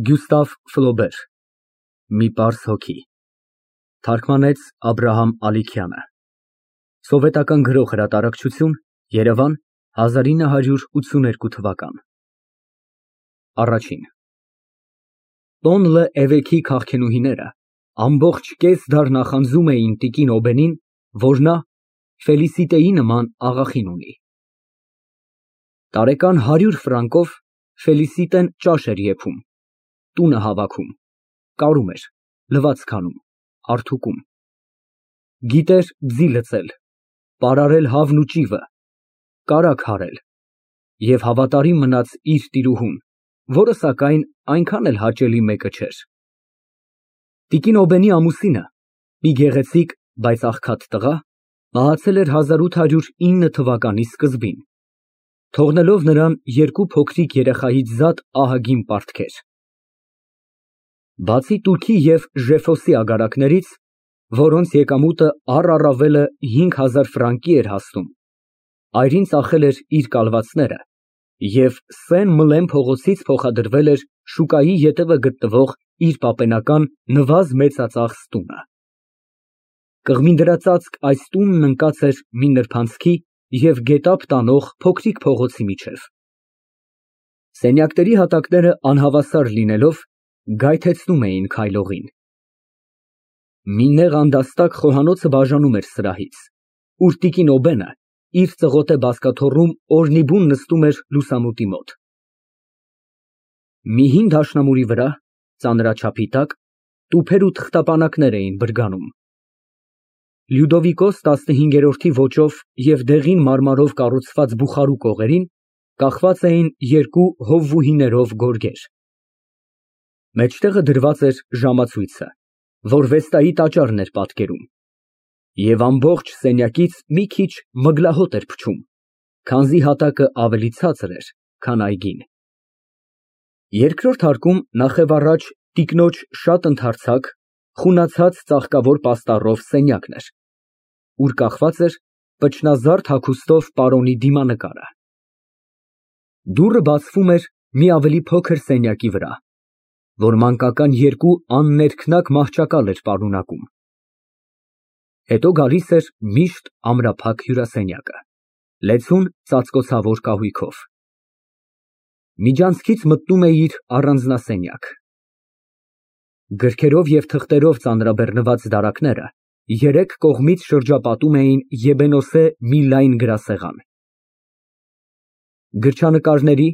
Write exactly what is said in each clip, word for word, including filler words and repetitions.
Գյուստավ Ֆլոբեր Մի պարզ հոգի Թարգմանեց Աբրահամ Ալիքյանը Սովետական Գրող Հրատարակչություն Երևան հազար ինը հարյուր ութսուներկու թվական Տոն Լը էվեքի քաղցնուհիները ամբողջ կես դար նախանձում էին տիկին Օբենին, որ նա Ֆելիսիտեի նման աղախին ունի։ Տարեկան հարյուր ֆրանկով Ֆելիսիտեն ճաշ էր եփում, տունը հավաքում, կարում էր, լվացք անում, հարդուկում։ Գիտեր ձի լցել, պարարել հավն ու ճիվը, կարագ հարել և հավատարիմ մնաց իր տիրուհուն, որը, սակայն, այնքան էլ հաճելի մեկը չէր։ Տիկին Օբենի ամուսինը, մի գեղեցիկ, բայց աղքատ տղա, մահացել էր հազար ութ հարյուր ինը թվականի սկզբին, թողնելով նրան երկու փոքրիկ երեխայից զատ ահագին պարտքեր։ Բացի տուրքի և Ժեֆոսի ագարակներից, որոնց եկամուտը առ առավելը հինգ հազար ֆրանկի էր հասնում, այրին ծախել էր իր կալվածները և Սեն Մլեն փողոցից փոխադրվել էր շուկայի ետևը գտնվող իր պապենական նվազ մեծածախս տունը։ Կղմինդրածածկ այս տունն ընկած էր մի նրբանցքի և գետափ տանող փոքրիկ փողոցի միջև։ Սենյակների հատակները անհավասար լինելով, գայթեցնում էին քայլողին։ Մի նեղ անդաստակ խոհանոցը բաժանում էր սրահից, ուր տիկին Օբենը իր ծղոտե բազկաթոռում օրնիբուն նստում էր լուսամուտի մոտ։ Մի հին դաշնամուրի վրա, ծանրաչափի տակ, տուփեր ու թղթապանակներ էին բրգանում։ Լյուդովիկոս տասնհինգերորդի ոճով և դեղին մարմարով կառուցված բուխարու կողերին կախված էին երկու հովվուհիներով գորգեր։ Մեջտեղը դրված էր ժամացույցը, որ Վեստայի տաճարն էր պատկերում, և ամբողջ սենյակից մի քիչ մգլահոտ էր փչում, քանզի հատակը ավելի ցածր էր, քան այգին։ Երկրորդ հարկում նախևառաջ տիկնոջ շատ ընդարձակ, խունացած ծաղկավոր պաստառով սենյակն էր, ուր կախված էր պչնազարդ հագուստով պարոնի դիմանկարը։ Դուռը բացվում էր մի ավելի փոքր սենյակի վրա, որ մանկական երկու աններքնակ մահճակալ էր պարունակում։ Հետո գալիս էր միշտ ամրափակ հյուրասենյակը, լեցուն ծածկոցավոր կահույքով։ Միջանցքից մտնում էիր առանձնասենյակ։ Գրքերով և թղթերով ծանրաբեռնված դարակները երեք կողմից շրջապատում էին եբենոսե մի լայն գրասեղան։ Գրչանկարների,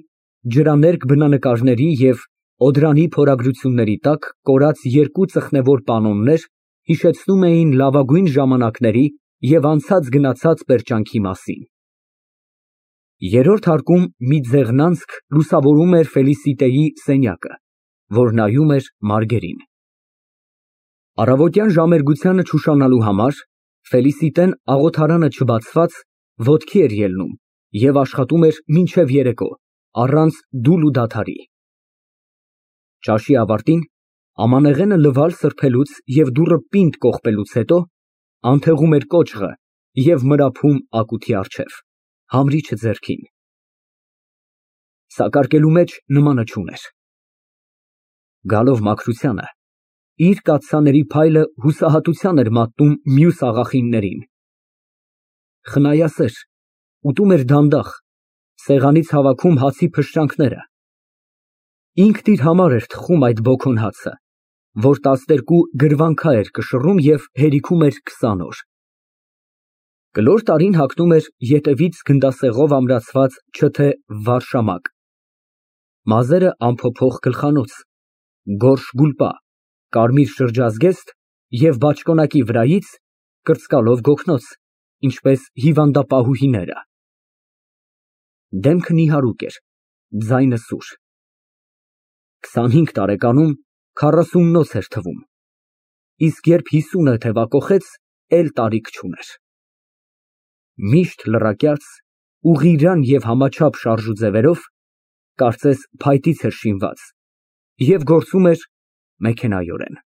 ջրաներկ բնանկարների և Օդրանի փորագրությունների տակ կորած երկու ծխնևոր պանոներ հիշեցնում էին լավագույն ժամանակների և անցած գնացած պերճանքի մասին։ Երրորդ հարկում մի ձեղնանցք լուսավորում էր Ֆելիսիտեի սենյակը, որ նայում էր մարգերին։ Առավոտյան ժամերգությանը չուշանալու համար Ֆելիսիտեն աղոթարանը չբացված, ոտքի էր ելնում և աշխատում էր մինչև երեկո, առանց դուլ ու դադարի։ Ճաշի ավարտին, ամանեղենը լվալ սրբելուց և դուռը պինդ կողպելուց հետո, անթեղում էր կոճղը և մրափում ակութի առջև, համրիչը ձեռքին։ Սակարկելու մեջ նմանը չուներ։ Գալով մաքրությանը, իր կաթսաների փայլը հուսահատության էր մատնում մյուս աղախիններին։ Խնայասեր, ուտում էր դանդաղ, սեղանից հավաքում հացի փշրանքները։ Ինքն իր համար էր թխում այդ բոքոն հացը, որ տասներկու գրվանքա էր կշռում և հերիքում էր քսան օր։ Կլոր տարին հագնում էր ետևից գնդասեղով ամրացված չթե վարշամակ, մազերը անփոփոխ գլխանոց, գորշ գուլպա, կարմիր շրջազգեստ և բաճկոնակի վրայից կրծկալով գոգնոց, ինչպես հիվանդապահուհիները։ Դեմքը նիհարուկ էր, ձայնը սուր։ Քսանհինգ տարեկանում քառասուննոց էր թվում, իսկ երբ հիսունը թևակոխեց, էլ տարիք չուներ։ Միշտ լռակյաց, ուղղիրան և համաչափ շարժուձևերով, կարծես փայտից էր շինված, և գործում էր մեքենայորեն։